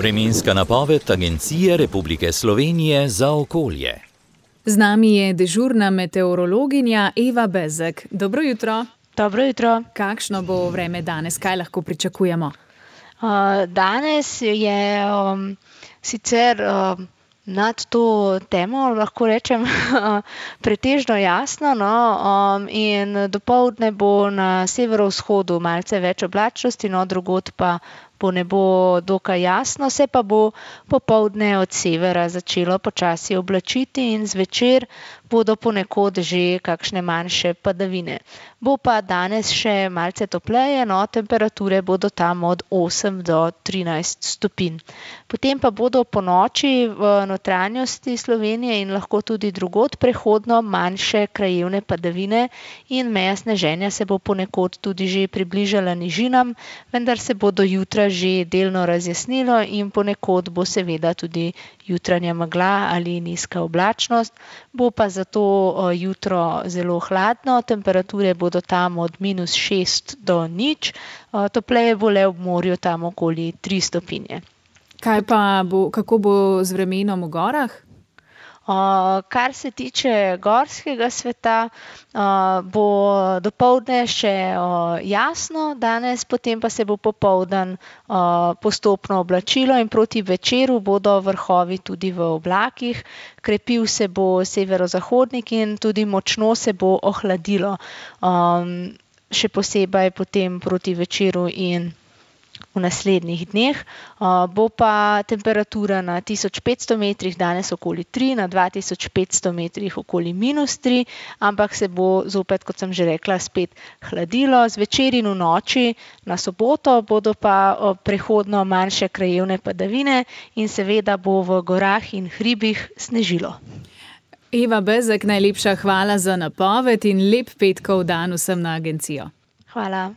Vremenska napoved Agencije Republike Slovenije za okolje. Z nami je dežurna meteorologinja Eva Bezek. Dobro jutro. Dobro jutro. Kakšno bo vreme danes? Kaj lahko pričakujemo? Danes je sicer nad to temo, lahko rečem, pretežno jasno, in dopoldne bo na severovzhodu malce več oblačnosti, drugod pa bo nebo dokaj jasno, se pa bo popoldne od severa začelo počasi oblačiti in zvečer bodo ponekod že kakšne manjše padavine. Bo pa danes še malce topleje, temperature bodo tam od 8 do 13 stopinj. Potem pa bodo ponoči v notranjosti Slovenije in lahko tudi drugod prehodno manjše krajevne padavine in meja sneženja se bo ponekod tudi že približala nižinam, vendar se bo do jutra že delno razjasnilo in ponekod bo seveda tudi jutranja megla ali nizka oblačnost. Bo pa zato jutro zelo hladno, temperature bodo tam od -6 do 0, topleje bo le ob morju tam okoli 3 stopinje. Kako bo z vremenom v gorah? Kar se tiče gorskega sveta, bo dopoldne še jasno danes, potem pa se bo popoldan postopno oblačilo in proti večeru bodo vrhovi tudi v oblakih. Krepil se bo severozahodnik in tudi močno se bo ohladilo, še posebej potem proti večeru in v naslednjih dneh. Bo pa temperatura na 1500 metrih danes okoli 3, na 2500 metrih okoli -3, ampak se bo zopet, kot sem že rekla, spet hladilo. Zvečer in v noči na soboto bodo pa prehodno manjše krajevne padavine in seveda bo v gorah in hribih snežilo. Eva Bezek, najlepša hvala za napoved in lep petkov dan vsem na agencijo. Hvala.